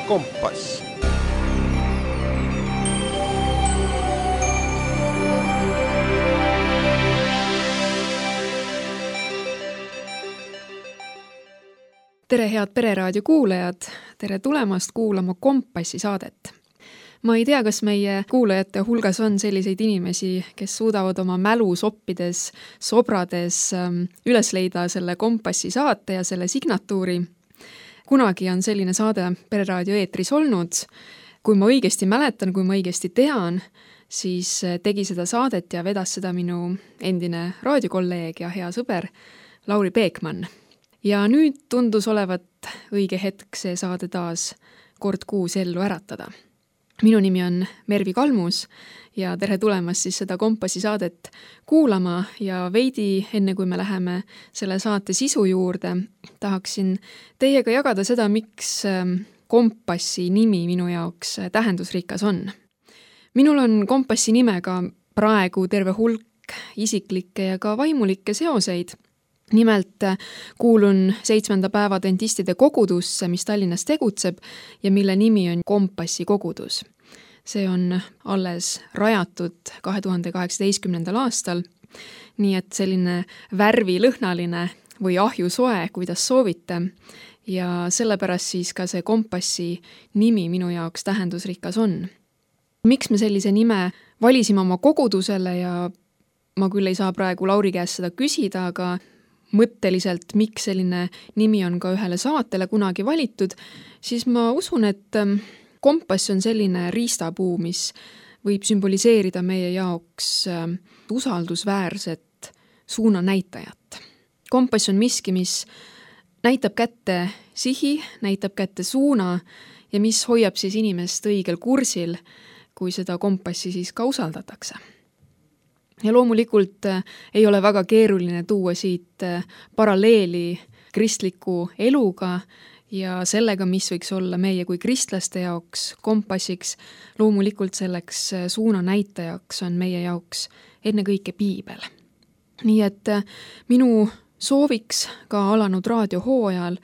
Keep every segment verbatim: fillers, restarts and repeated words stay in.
Kompass. Tere, head Pereraadio kuulajad! Tere tulemast kuulama Kompassi saadet. Ma ei tea, kas meie kuulajate hulgas on selliseid inimesi, kes suudavad oma mälu soppides, sobrades üles leida selle Kompassi saate ja selle signatuuri. Kunagi on selline saade Pereraadio eetris olnud. Kui ma õigesti mäletan, kui ma õigesti tean, siis tegi seda saadet ja vedas seda minu endine raadiokolleeg ja hea sõber Lauri Peekman. Ja nüüd tundus olevat õige hetk see saade taas kord kuus ellu äratada. Minu nimi on Mervi Kalmus ja tere tulemast siis seda Kompassi saadet kuulama ja veidi enne kui me läheme selle saate sisu juurde, tahaksin teiega jagada seda, miks Kompassi nimi minu jaoks tähendusrikas on. Minul on Kompassi nimega praegu terve hulk isiklikke ja ka vaimulikke seoseid. Nimelt kuulun seitsmenda päeva dentistide kogudusse, mis Tallinnas tegutseb ja mille nimi on Kompassi kogudus. See on alles rajatud kahe tuhande kaheksateistkümnendal aastal, nii et selline värvilõhnaline või ahjusoe, kuidas soovite, ja sellepärast siis ka see Kompassi nimi minu jaoks tähendusrikas on. Miks me sellise nime valisime oma kogudusele ja ma küll ei saa praegu Lauri käest seda küsida, aga mõtteliselt, miks selline nimi on ka ühele saatele kunagi valitud, siis ma usun, et Kompass on selline riistapuu, mis võib sümboliseerida meie jaoks usaldusväärset suunanäitajat. Kompass on miski, mis näitab kätte sihi, näitab kätte suuna ja mis hoiab siis inimest õigel kursil, kui seda kompassi siis ka usaldatakse. Ja loomulikult ei ole väga keeruline tuua siit paralleeli kristliku eluga ja sellega, mis võiks olla meie kui kristlaste jaoks kompassiks. Loomulikult selleks suunanäitajaks on meie jaoks ennekõike piibel. Nii et minu sooviks ka alanud raadiohooajal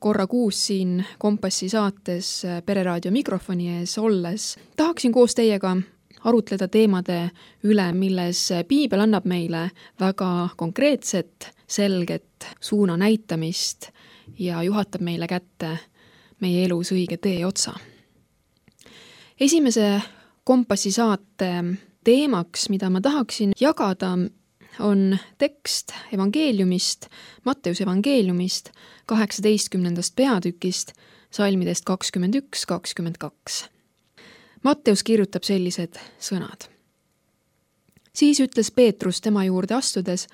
korra kuus siin Kompassi saates Pereraadio mikrofoni ees olles tahaksin koos teiega arutleda teemade üle, milles piibel annab meile väga konkreetset, selget suuna näitamist ja juhatab meile kätte meie elus õige tee otsa. Esimese Kompassi saate teemaks, mida ma tahaksin jagada, on tekst evangeeliumist, Matteuse evangeeliumist, kaheksateistkümnendast peatükist, salmidest kakskümmend üks kakskümmend kaks. Matteus kirjutab sellised sõnad. Siis ütles Peetrus tema juurde astudes,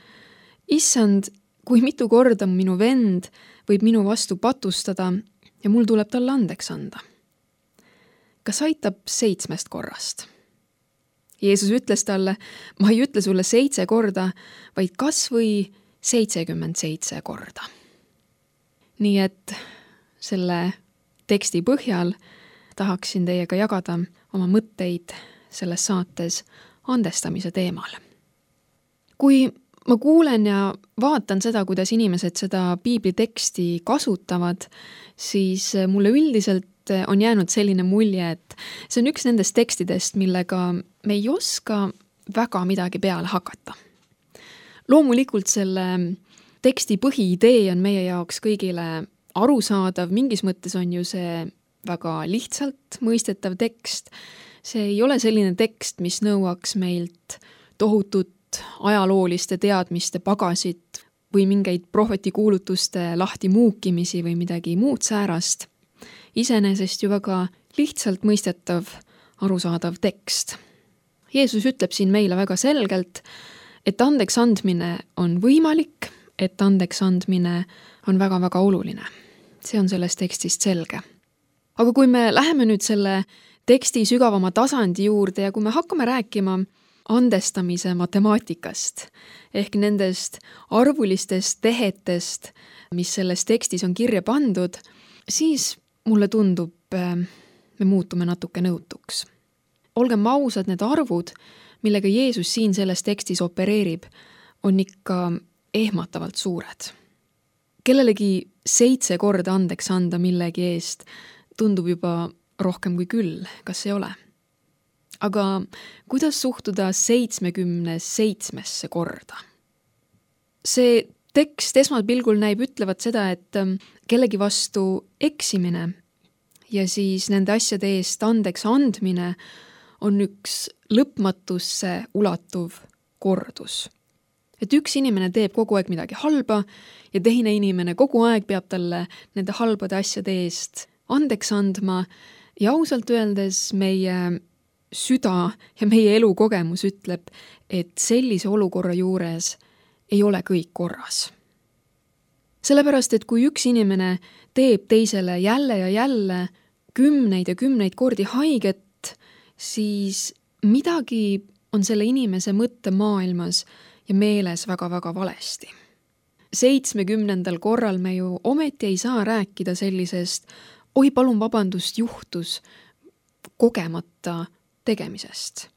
Issand, kui mitu korda minu vend võib minu vastu patustada ja mul tuleb talle andeks anda. Kas aitab seitsmest korrast? Jeesus ütles talle, ma ei ütle sulle seitse korda, vaid kas või seitsekümmend seitse korda. Nii et selle teksti põhjal tahaksin teiega jagada oma mõtteid selles saates andestamise teemal. Kui ma kuulen ja vaatan seda, kuidas inimesed seda piibliteksti kasutavad, siis mulle üldiselt on jäänud selline mulje, et see on üks nendest tekstidest, millega me ei oska väga midagi peale hakata. Loomulikult selle teksti põhiidee on meie jaoks kõigile arusaadav, mingis mõttes on ju see väga lihtsalt mõistetav tekst. See ei ole selline tekst, mis nõuaks meilt tohutut ajalooliste teadmiste pagasit või mingeid prohvetikuulutuste lahti muukimisi või midagi muud säärast. Iseenesest ju väga lihtsalt mõistetav, arusaadav tekst. Jeesus ütleb siin meile väga selgelt, et andeks andmine on võimalik, et andeks andmine on väga-väga oluline. See on sellest tekstist selge. Aga kui me läheme nüüd selle teksti sügavama tasandi juurde ja kui me hakkame rääkima andestamise matemaatikast ehk nendest arvulistest tehetest, mis selles tekstis on kirja pandud, siis mulle tundub, me muutume natuke nõutuks. Olgem ausad, need arvud, millega Jeesus siin selles tekstis opereerib, on ikka ehmatavalt suured. Kellelegi seitse korda andeks anda millegi eest, tundub juba rohkem kui küll, kas ei ole? Aga kuidas suhtuda seitsmekümne seitsmesse korda? See tekst esmapilgul näib ütlevat seda, et kellegi vastu eksimine ja siis nende asjade eest andeks andmine on üks lõpmatusse ulatuv kordus. Et üks inimene teeb kogu aeg midagi halba ja teine inimene kogu aeg peab talle nende halbade asjade eest andeks andma ja ausalt öeldes meie süda ja meie elukogemus ütleb, et sellise olukorra juures ei ole kõik korras. Sellepärast, et kui üks inimene teeb teisele jälle ja jälle kümneid ja kümneid kordi haiget, siis midagi on selle inimese mõttemaailmas ja meeles väga-väga valesti. Seitsmekümnendal korral me ju ometi ei saa rääkida sellisest oi palun vabandust juhtus kogemata tegemisest.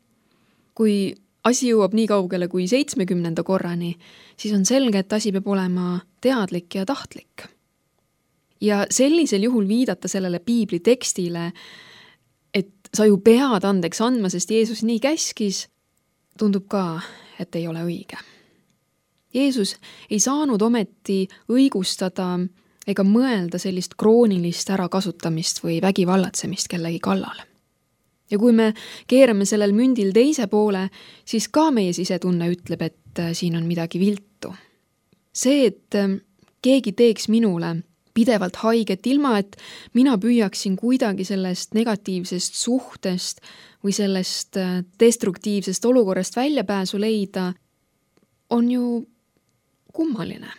Kui asi jõuab nii kaugele kui seitsmekümnenda korrani, siis on selge, et asi peab olema teadlik ja tahtlik. Ja sellisel juhul viidata sellele piibli tekstile, et sa ju pead andeks andma, sest Jeesus nii käskis, tundub ka, et ei ole õige. Jeesus ei saanud ometi õigustada ega mõelda sellist kroonilist ärakasutamist või vägivallatsemist kellegi kallal. Ja kui me keerame sellel mündil teise poole, siis ka meie sisetunne ütleb, et siin on midagi viltu. See, et keegi teeks minule pidevalt haiget, ilma et mina püüaksin kuidagi sellest negatiivsest suhtest või sellest destruktiivsest olukorrast väljapääsu leida, on ju kummaline.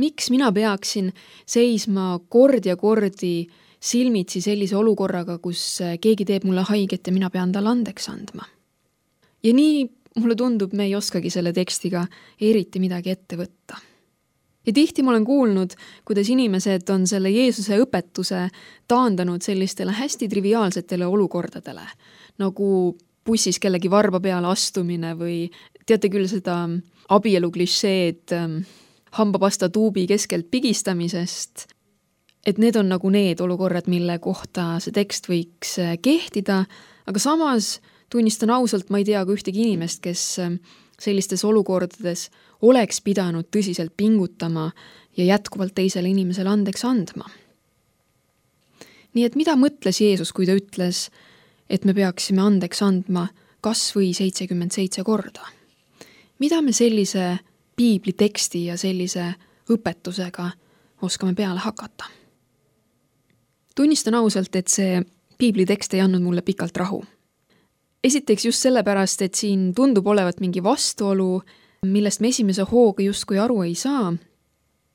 Miks mina peaksin seisma kord ja kordi silmitsi sellise olukorraga, kus keegi teeb mulle haiget ja mina pean talle andeks andma? Ja nii mulle tundub, me ei oskagi selle tekstiga eriti midagi ette võtta. Ja tihti ma olen kuulnud, kuidas inimesed on selle Jeesuse õpetuse taandanud sellistele hästi triviaalsetele olukordadele, nagu bussis kellegi varba peale astumine või teate küll seda abielu klišeed hambapasta tuubi keskelt pigistamisest, et need on nagu need olukorrad, mille kohta see tekst võiks kehtida, aga samas tunnistan ausalt, ma ei tea ka ühtegi inimest, kes sellistes olukordades oleks pidanud tõsiselt pingutama ja jätkuvalt teisele inimesele andeks andma. Nii et mida mõtles Jeesus, kui ta ütles, et me peaksime andeks andma kas või seitsekümmend seitse korda? Mida me sellise piibli teksti ja sellise õpetusega oskame peale hakata? Tunnistan ausalt, et see piibli tekst ei andnud mulle pikalt rahu. Esiteks just sellepärast, et siin tundub olevat mingi vastuolu, millest me esimese hooga justkui aru ei saa.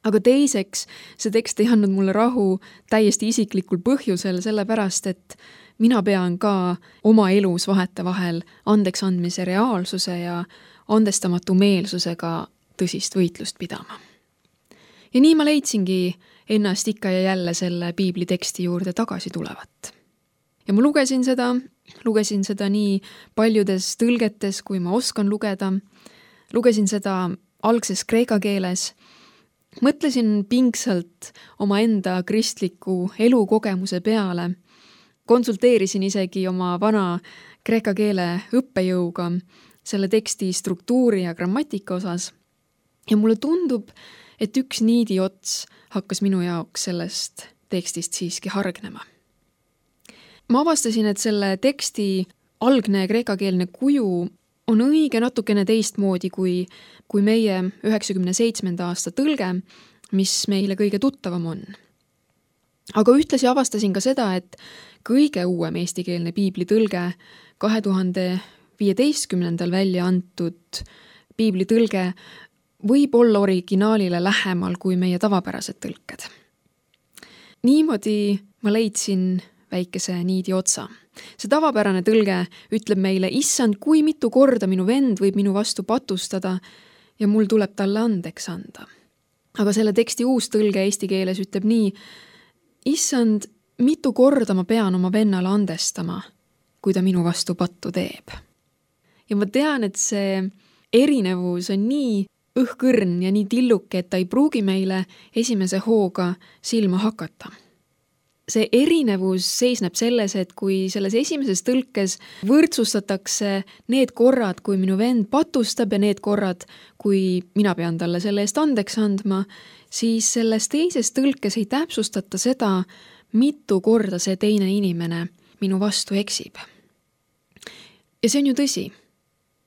Aga teiseks, see tekst ei andnud mulle rahu täiesti isiklikul põhjusel, sellepärast, et mina pean ka oma elus vahetevahel andeks andmise reaalsuse ja andestamatu meelsusega tõsist võitlust pidama. Ja nii ma leidsingi ennast ikka ja jälle selle piibli teksti juurde tagasi tulevat. Ja ma lugesin seda, lugesin seda nii paljudes tõlgetes, kui ma oskan lugeda, lugesin seda algses kreeka keeles, mõtlesin pingsalt oma enda kristliku elukogemuse peale, konsulteerisin isegi oma vana kreeka keele õppejõuga selle teksti struktuuri ja grammatika osas ja mulle tundub, et üks niidi ots hakkas minu jaoks sellest tekstist siiski hargnema. Ma avastasin, et selle teksti algne kreekakeelne kuju on õige natukene teistmoodi kui, kui meie üheksakümne seitsmenda aasta tõlge, mis meile kõige tuttavam on. Aga ühtlasi avastasin ka seda, et kõige uuem eestikeelne piibli tõlge kahe tuhande viieteistkümnendal välja antud piibli tõlge võib olla originaalile lähemal kui meie tavapärased tõlked. Niimoodi ma leidsin väikese niidi otsa. See tavapärane tõlge ütleb meile, issand, kui mitu korda minu vend võib minu vastu patustada ja mul tuleb talle andeks anda. Aga selle teksti uus tõlge eesti keeles ütleb nii, issand, mitu korda ma pean oma vennale andestama, kui ta minu vastu pattu teeb. Ja ma tean, et see erinevus on nii õhkõrn ja nii tilluke, et ta ei pruugi meile esimese hooga silma hakata. see erinevus seisneb selles, et kui selles esimeses tõlkes võrdsustatakse need korrad, kui minu vend patustab ja need korrad, kui mina pean talle selle eest andeks andma, siis selles teises tõlkes ei täpsustata seda, mitu korda see teine inimene minu vastu eksib. Ja see on ju tõsi.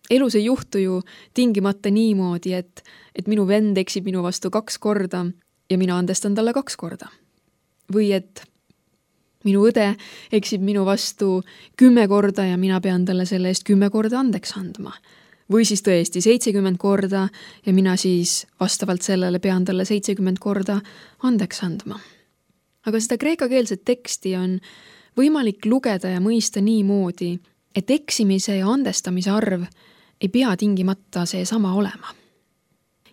Elus ei juhtu ju tingimata niimoodi, et, et minu vend eksib minu vastu kaks korda ja mina andestan talle kaks korda. Või et minu õde eksib minu vastu kümme korda ja mina pean talle selle eest kümme korda andeks andma. Või siis tõesti seitsekümmend korda ja mina siis vastavalt sellele pean talle seitsekümmend korda andeks andma. Aga seda kreekakeelset teksti on võimalik lugeda ja mõista nii moodi, et eksimise ja andestamise arv ei pea tingimata see sama olema.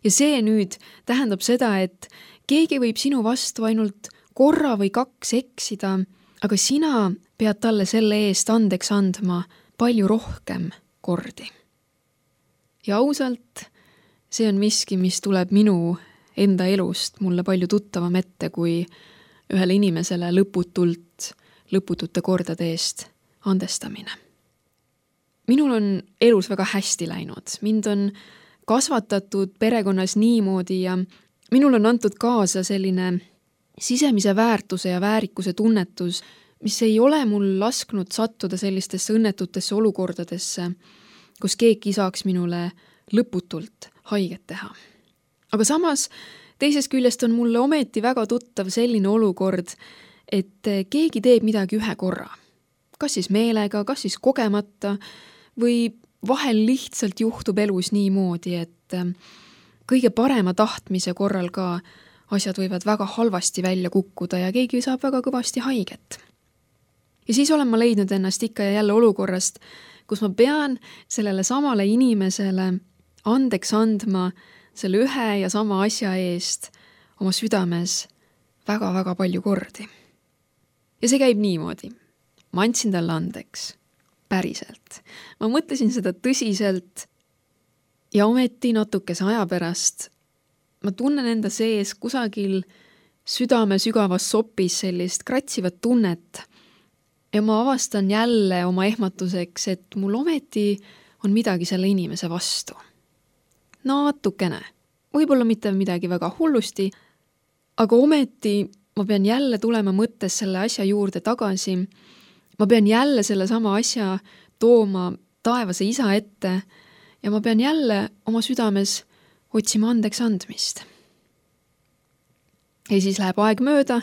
Ja see nüüd tähendab seda, et keegi võib sinu vastu ainult korra või kaks eksida, aga sina pead talle selle eest andeks andma palju rohkem kordi. Ja ausalt, see on miski, mis tuleb minu enda elust mulle palju tuttavam ette, kui ühele inimesele lõputult, lõputute kordade eest andestamine. Minul on elus väga hästi läinud. Mind on kasvatatud perekonnas niimoodi ja minul on antud kaasa selline sisemise väärtuse ja väärikuse tunnetus, mis ei ole mul lasknud sattuda sellistesse õnnetutesse olukordadesse, kus keegi saaks minule lõputult haiget teha. Aga samas teisest küljest on mulle ometi väga tuttav selline olukord, et keegi teeb midagi ühe korra. Kas siis meelega, kas siis kogemata või vahel lihtsalt juhtub elus niimoodi, et kõige parema tahtmise korral ka asjad võivad väga halvasti välja kukkuda ja keegi saab väga kõvasti haiget. Ja siis olen ma leidnud ennast ikka ja jälle olukorrast, kus ma pean sellele samale inimesele andeks andma selle ühe ja sama asja eest oma südames väga-väga palju kordi. Ja see käib niimoodi. Ma andsin talle andeks. Päriselt. Ma mõtlesin seda tõsiselt ja ometi natukese aja pärast ma tunnen enda sees kusagil südame sügavas sopis sellist kratsivat tunnet ja ma avastan jälle oma ehmatuseks, et mul ometi on midagi selle inimese vastu. Natukene. Võib-olla mitte midagi väga hullusti, aga ometi ma pean jälle tulema mõttes selle asja juurde tagasi. Ma pean jälle selle sama asja tooma taevase isa ette ja ma pean jälle oma südames otsima andeks andmist. Ja siis läheb aeg mööda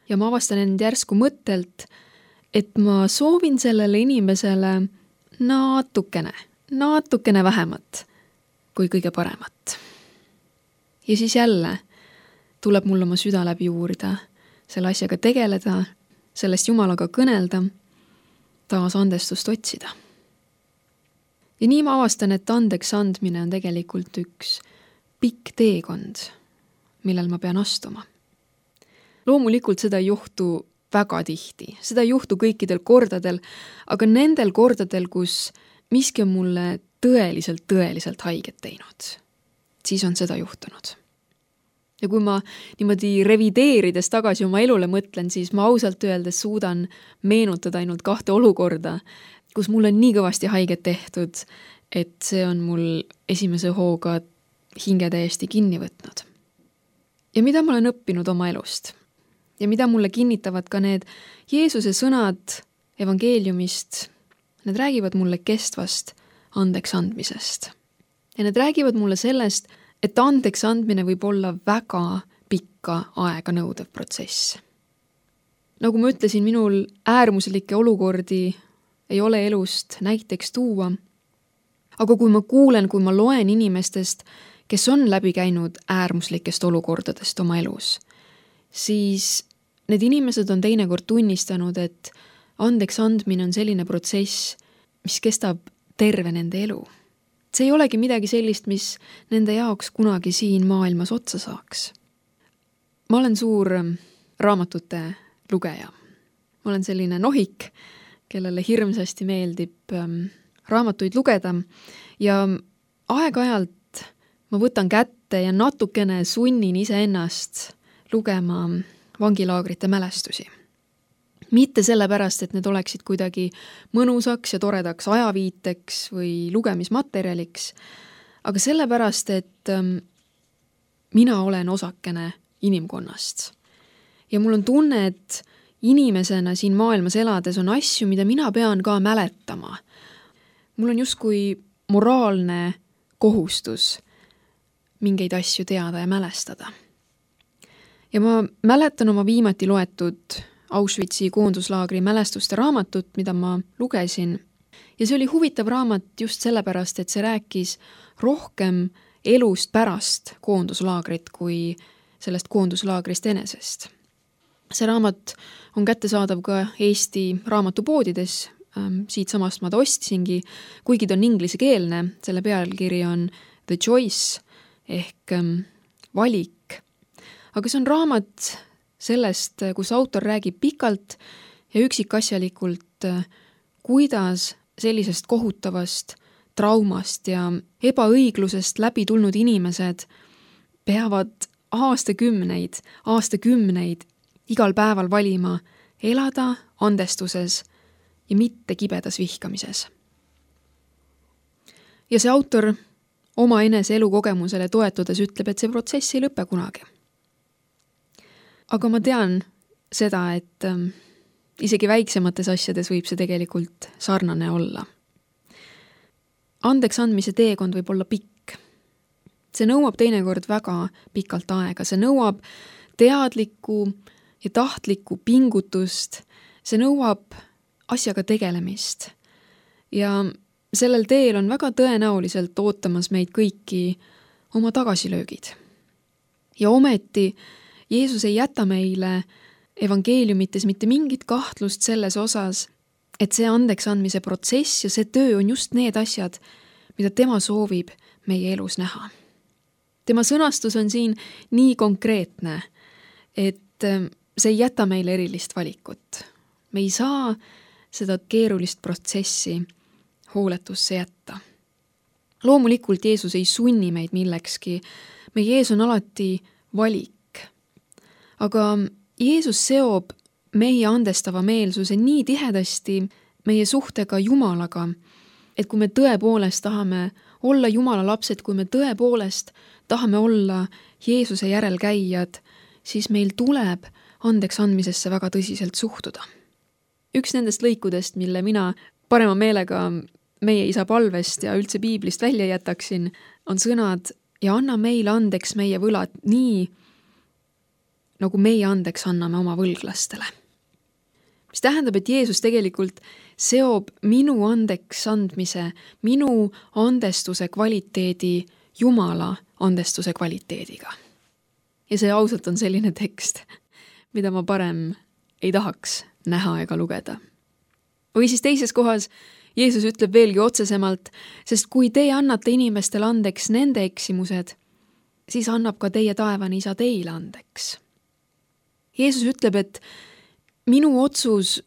ja ma avastan end järsku mõttelt, et ma soovin sellele inimesele natukene, natukene vähemat kui kõige paremat. Ja siis jälle tuleb mul oma süda läbi uurida, selle asjaga tegeleda, sellest Jumalaga kõnelda, taas andestust otsida. Ja nii ma avastan, et andeks andmine on tegelikult üks pikk teekond, millel ma pean astuma. Loomulikult seda ei juhtu väga tihti, seda ei juhtu kõikidel kordadel, aga nendel kordadel, kus miski on mulle tõeliselt, tõeliselt haiget teinud, siis on seda juhtunud. Ja kui ma niimoodi revideerides tagasi oma elule mõtlen, siis ma ausalt öeldes suudan meenutada ainult kahte olukorda, kus mul on nii kõvasti haiget tehtud, et see on mul esimese hooga hinge täiesti kinni võtnud. Ja mida ma olen õppinud oma elust? Ja mida mulle kinnitavad ka need Jeesuse sõnad evangeeliumist, need räägivad mulle kestvast andeks andmisest. Ja need räägivad mulle sellest, et andeks andmine võib olla väga pikka aega nõudev protsess. Nagu ma ütlesin, minul äärmuslikke olukordi ei ole elust näiteks tuua, aga kui ma kuulen, kui ma loen inimestest, kes on läbi käinud äärmuslikest olukordadest oma elus, siis need inimesed on teinekord tunnistanud, et andeks andmine on selline protsess, mis kestab terve nende elu. See ei olegi midagi sellist, mis nende jaoks kunagi siin maailmas otsa saaks. Ma olen suur raamatute lugeja. Ma olen selline nohik, kellele hirmsasti meeldib raamatuid lugeda ja aeg-ajalt ma võtan kätte ja natukene sunnin iseennast lugema vangilaagrite mälestusi. mitte sellepärast, et need oleksid kuidagi mõnusaks ja toredaks ajaviiteks või lugemismaterjaliks, aga sellepärast, et mina olen osakene inimkonnast. Ja mul on tunne, et inimesena siin maailmas elades on asju, mida mina pean ka mäletama. Mul on justkui moraalne kohustus mingeid asju teada ja mälestada. Ja ma mäletan oma viimati loetud Auschwitzi koonduslaagri mälestuste raamatut, mida ma lugesin. Ja see oli huvitav raamat just sellepärast, et see rääkis rohkem elust pärast koonduslaagrit kui sellest koonduslaagrist enesest. See raamat on kättesaadav ka Eesti raamatupoodides, siit samast ma ta ostsingi, kuigi ta on inglisekeelne, selle pealkiri on The Choice ehk valik. Aga see on raamat sellest, kus autor räägib pikalt ja üksikasjalikult, kuidas sellisest kohutavast traumast ja ebaõiglusest läbi tulnud inimesed peavad aastakümneid, aastakümneid igal päeval valima elada andestuses ja mitte kibedas vihkamises. Ja see autor oma enese elukogemusele toetudes ütleb, et see protsess ei lõpe kunagi. Aga ma tean seda, et ähm, isegi väiksemates asjades võib see tegelikult sarnane olla. Andeks andmise teekond võib olla pikk. See nõuab teinekord väga pikalt aega. See nõuab teadlikku ja tahtlikku pingutust. See nõuab asjaga tegelemist. Ja sellel teel on väga tõenäoliselt ootamas meid kõiki oma tagasilöögid. Ja ometi Jeesus ei jäta meile evangeeliumites mitte mingit kahtlust selles osas, et see andeks andmise protsess ja see töö on just need asjad, mida tema soovib meie elus näha. Tema sõnastus on siin nii konkreetne, et see ei jäta meile erilist valikut. Me ei saa seda keerulist protsessi hooletusse jätta. Loomulikult Jeesus ei sunni meid millekski. Meie ees on alati valik. Aga Jeesus seob meie andestava meelsuse nii tihedasti meie suhtega Jumalaga, et kui me tõepoolest tahame olla Jumala lapsed, kui me tõepoolest tahame olla Jeesuse järelkäijad, siis meil tuleb andeks andmisesse väga tõsiselt suhtuda. Üks nendest lõikudest, mille mina parema meelega meie isa palvest ja üldse piiblist välja jätaksin, on sõnad ja anna meile andeks meie võlad nii, nagu meie andeks anname oma võlglastele. Mis tähendab, et Jeesus tegelikult seob minu andeks andmise, minu andestuse kvaliteedi Jumala andestuse kvaliteediga. Ja see ausalt on selline tekst, mida ma parem ei tahaks näha ega lugeda. Või siis teises kohas Jeesus ütleb veelgi otsesemalt, sest kui te annate inimestele andeks nende eksimused, siis annab ka teie taevane isa teile andeks. Jeesus ütleb, et minu otsus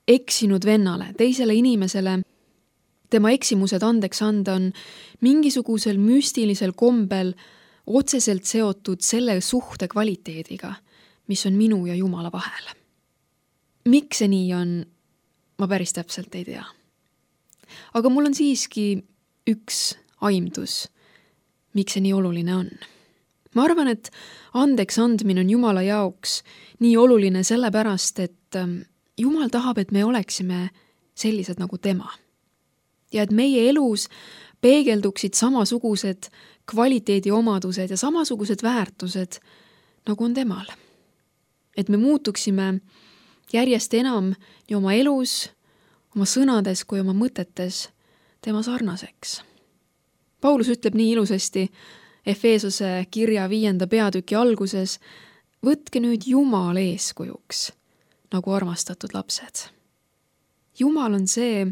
eksinud vennale, teisele inimesele, tema eksimused andeks anda on mingisugusel müstilisel kombel otseselt seotud selle suhte kvaliteediga, mis on minu ja Jumala vahel. Miks see nii on, ma päris täpselt ei tea. Aga mul on siiski üks aimdus, miks see nii oluline on. Ma arvan, et andeks andmine on Jumala jaoks nii oluline sellepärast, et Jumal tahab, et me oleksime sellised nagu tema. Ja et meie elus peegelduksid samasugused kvaliteedi omadused ja samasugused väärtused, nagu on temal. Et me muutuksime järjest enam nii oma elus, oma sõnades kui oma mõtetes tema sarnaseks. Paulus ütleb nii ilusasti Efeesose kirja viienda peatüki alguses, võtke nüüd Jumal eeskujuks, nagu armastatud lapsed. Jumal on see,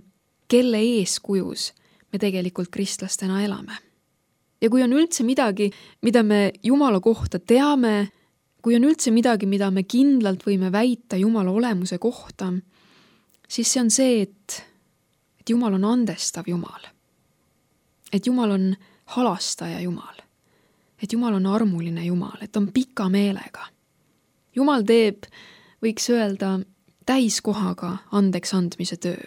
kelle eeskujus me tegelikult kristlastena elame. Ja kui on üldse midagi, mida me Jumala kohta teame, kui on üldse midagi, mida me kindlalt võime väita Jumala olemuse kohta, siis see on see, et, et Jumal on andestav Jumal. Et Jumal on halastaja Jumal. Et Jumal on armuline Jumal, et on pika meelega. Jumal teeb, võiks öelda, täiskohaga andeks andmise töö.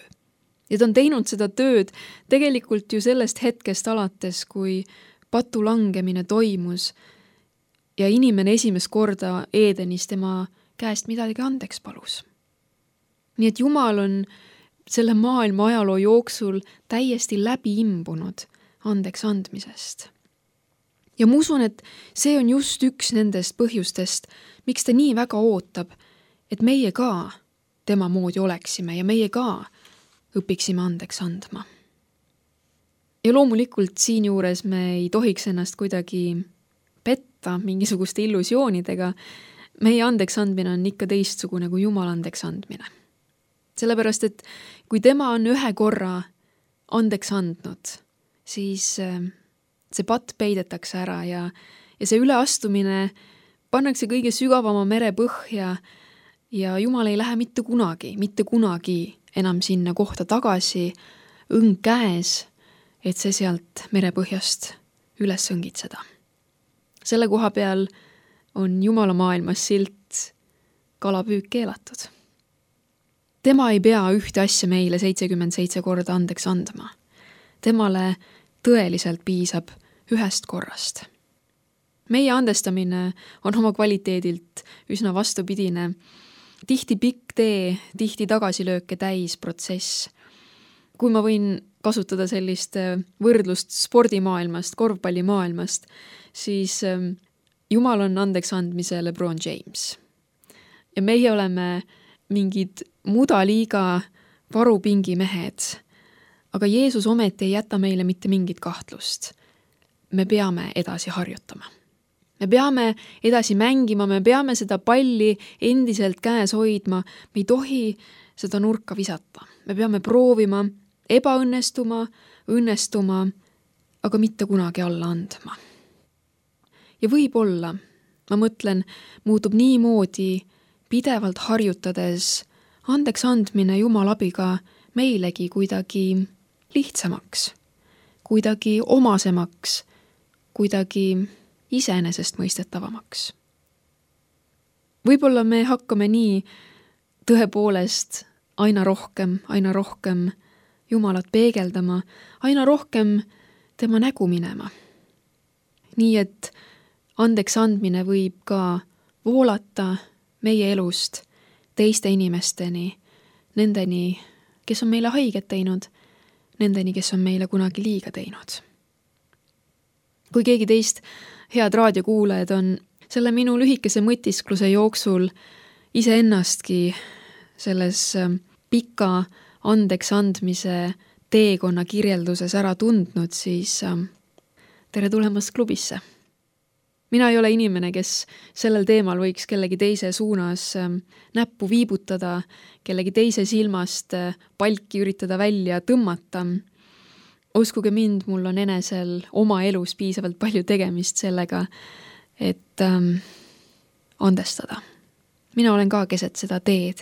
Ja ta on teinud seda tööd tegelikult ju sellest hetkest alates, kui patu langemine toimus ja inimene esimest korda Eedenis tema käest midagi andeks palus. Nii et Jumal on selle maailma ajaloo jooksul täiesti läbi imbunud andeks andmisest. Ja ma usun, et see on just üks nendest põhjustest, miks ta nii väga ootab, et meie ka tema moodi oleksime ja meie ka õpiksime andeks andma. Ja loomulikult siin juures me ei tohiks ennast kuidagi petta mingisuguste illusioonidega. Meie andeks andmine on ikka teistsugune kui Jumal andeks andmine. Sellepärast, et kui tema on ühe korra andeks andnud, siis see patt peidetakse ära ja, ja see üleastumine pannakse kõige sügavama mere põhja ja Jumal ei lähe mitte kunagi, mitte kunagi enam sinna kohta tagasi, õng käes, et see sealt merepõhjast üles õngitseda. Selle koha peal on Jumala maailmas silt kalapüük keelatud. Tema ei pea ühte asja meile seitsekümmend seitse korda andeks andma. Temale tõeliselt piisab ühest korrast. Meie andestamine on oma kvaliteedilt üsna vastupidine. Tihti pikk tee, tihti tagasilööke täis protsess. Kui ma võin kasutada sellist võrdlust spordimaailmast, korvpallimaailmast, siis Jumal on andeks andmise LeBron James. Ja meie oleme mingid mudaliiga varupingi mehed, aga Jeesus ometi ei jäta meile mitte mingit kahtlust. Me peame edasi harjutama. Me peame edasi mängima, me peame seda palli endiselt käes hoidma, me ei tohi seda nurka visata. Me peame proovima, ebaõnnestuma, õnnestuma, aga mitte kunagi alla andma. Ja võib-olla, ma mõtlen, muutub nii moodi pidevalt harjutades andeks andmine Jumala abiga meilegi kuidagi lihtsamaks, kuidagi omasemaks, kuidagi iseenesest mõistetavamaks. Võib-olla me hakkame nii tõepoolest aina rohkem, aina rohkem Jumalat peegeldama, aina rohkem tema nägu minema. Nii et andeks andmine võib ka voolata meie elust teiste inimesteni, nendeni, kes on meile haiget teinud, nendeni, kes on meile kunagi liiga teinud. Kui keegi teist head raadiokuulajad on selle minu lühikese mõtiskluse jooksul iseennastki selles pika andeks andmise teekonna kirjelduses ära tundnud, siis tere tulemast klubisse. Mina ei ole inimene, kes sellel teemal võiks kellegi teise suunas näppu viibutada, kellegi teise silmast palki üritada välja tõmmata. Uskuge mind, mul on enesel oma elus piisavalt palju tegemist sellega, et ähm, andestada. Mina olen ka keset seda teed,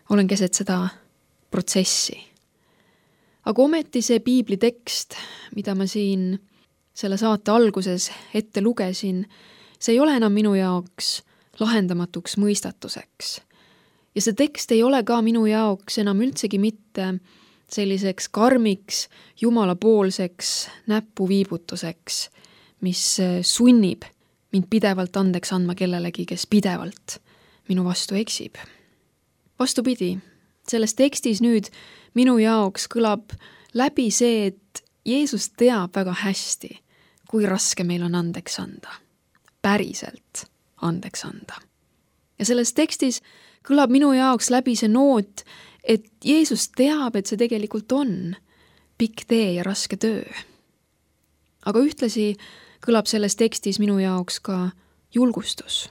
olen keset seda protsessi. Aga ometi see piibli tekst, mida ma siin selle saate alguses ette lugesin, see ei ole enam minu jaoks lahendamatuks mõistatuseks. Ja see tekst ei ole ka minu jaoks enam üldsegi mitte selliseks karmiks, jumalapoolseks näpuviibutuseks, mis sunnib mind pidevalt andeks andma kellelegi, kes pidevalt minu vastu eksib. Vastupidi, selles tekstis nüüd minu jaoks kõlab läbi see, et Jeesus teab väga hästi, kui raske meil on andeks anda. Päriselt andeks anda. Ja selles tekstis kõlab minu jaoks läbi see noot, et Jeesus teab, et see tegelikult on pikk tee ja raske töö. Aga ühtlasi kõlab selles tekstis minu jaoks ka julgustus.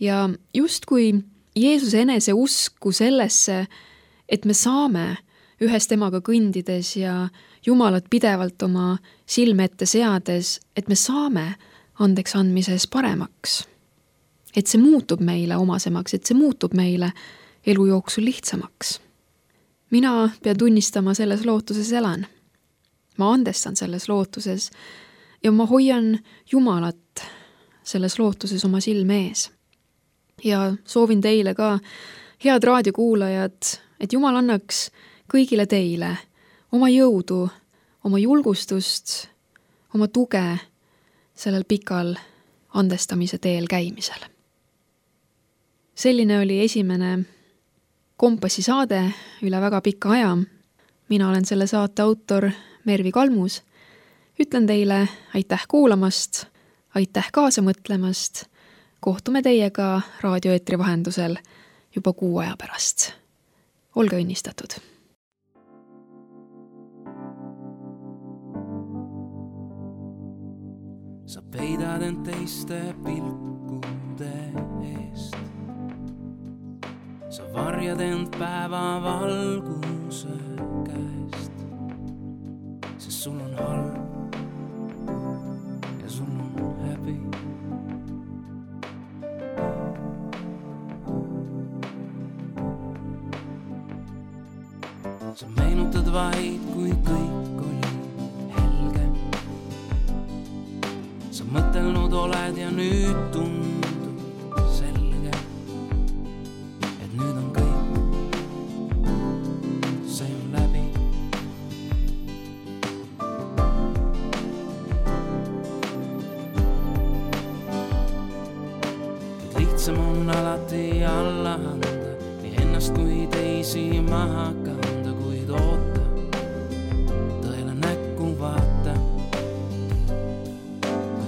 Ja justkui Jeesuse enese usku sellesse, et me saame ühes temaga kõndides ja Jumalat pidevalt oma silme ette seades, et me saame andeks andmises paremaks. Et see muutub meile omasemaks, et see muutub meile elu jooksul lihtsamaks. Mina pean tunnistama selles lootuses elan. Ma andestan selles lootuses ja ma hoian Jumalat selles lootuses oma silme ees. Ja soovin teile ka, head raadiokuulajad, et Jumal annaks kõigile teile oma jõudu, oma julgustust, oma tuge sellel pikal andestamise teel käimisel. Selline oli esimene Kompassi saade üle väga pika aja. Mina olen selle saate autor Mervi Kalmus. Ütlen teile aitäh kuulamast, aitäh kaasa mõtlemast. Kohtume teiega raadioeetri vahendusel juba kuu aja pärast. Olge õnnistatud! Sa peidad end teiste pilkude eest. Sa varjad end päeva valguse käest. Sest sul on halb ja sul on häbi. Sa meenutad vaid, kui kõik oli helge. Sa mõtelnud oled ja nüüd tundub selge, et nüüd on kõik, see on läbi. Et lihtsam on alati alla anda, nii ennast kui teisi maha kanda, kuid oota, tõele näkku vaata.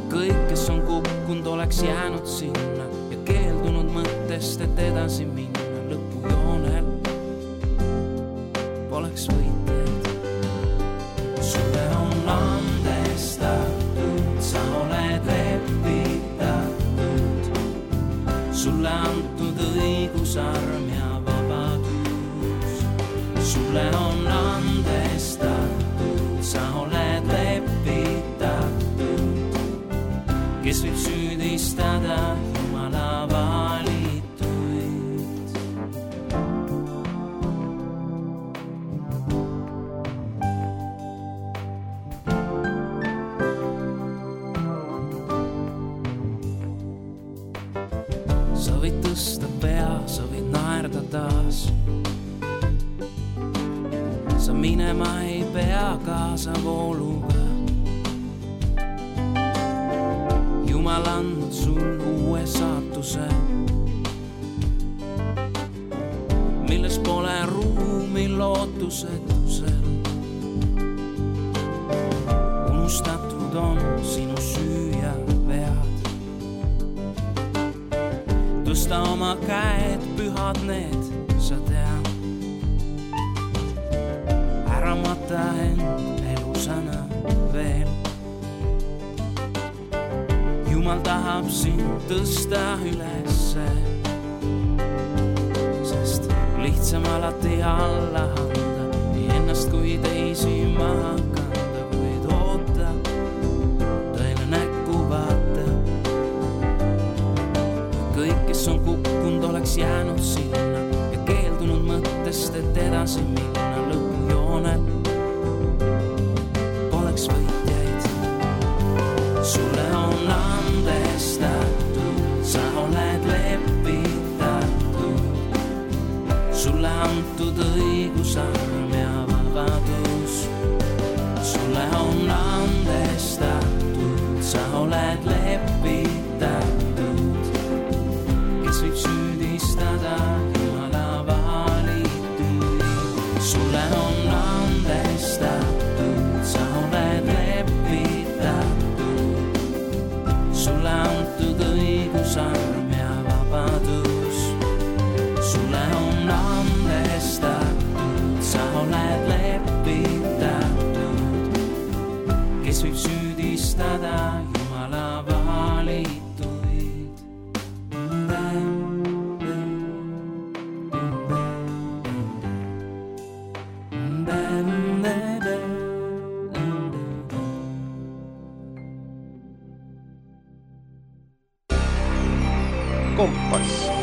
Kõik, kes on kukkunud, oleks jäänud sinna ja keeldunud mõttest, et edasi minna lõpujoonel. Poleks võitjaid. Sulle on andestatud, sa oled lepitatud. Sulle antud õigusarm ja vabadus. Sulle on andestatud, sa oled lepitatud. Kes võib süüdistada Jumala valituid. Sa võid tõsta pea, sa võid naerda taas. Sa minema ei pea kaasa vooluga. Jumal andnud sul uue saatuse, milles pole ruumi lootusetusel. Unustatud on sinu süü ja vead. Tõsta oma käed, pühad need, sa tead. Ära mata end elusana veel. Jumal tahab sind tõsta ülesse, sest lihtsam alati alla anda, nii ennast kui teisi maha kanda, kuid oota, tõele näkku vaata. Kõik, kes on kukkunud, oleks jäänud sinna ja keeldunud mõttest, et edasi minna lõpujoonel. Poleks võitjaid. Sulle on andestatud, sa oled lepitatud. Sulle antud õigusarm ja vabadus. Sulle on andestatud, sa oled lepitatud. Kes võib süüdistada Jumala valituid. Sulle on andestatud, sa oled lepitatud. Sulle antud õigusarm ja vabadus. Sulle on andestatud, sa oled lepitatud. Kes võib süüdistada Jumala valituid. Kompass.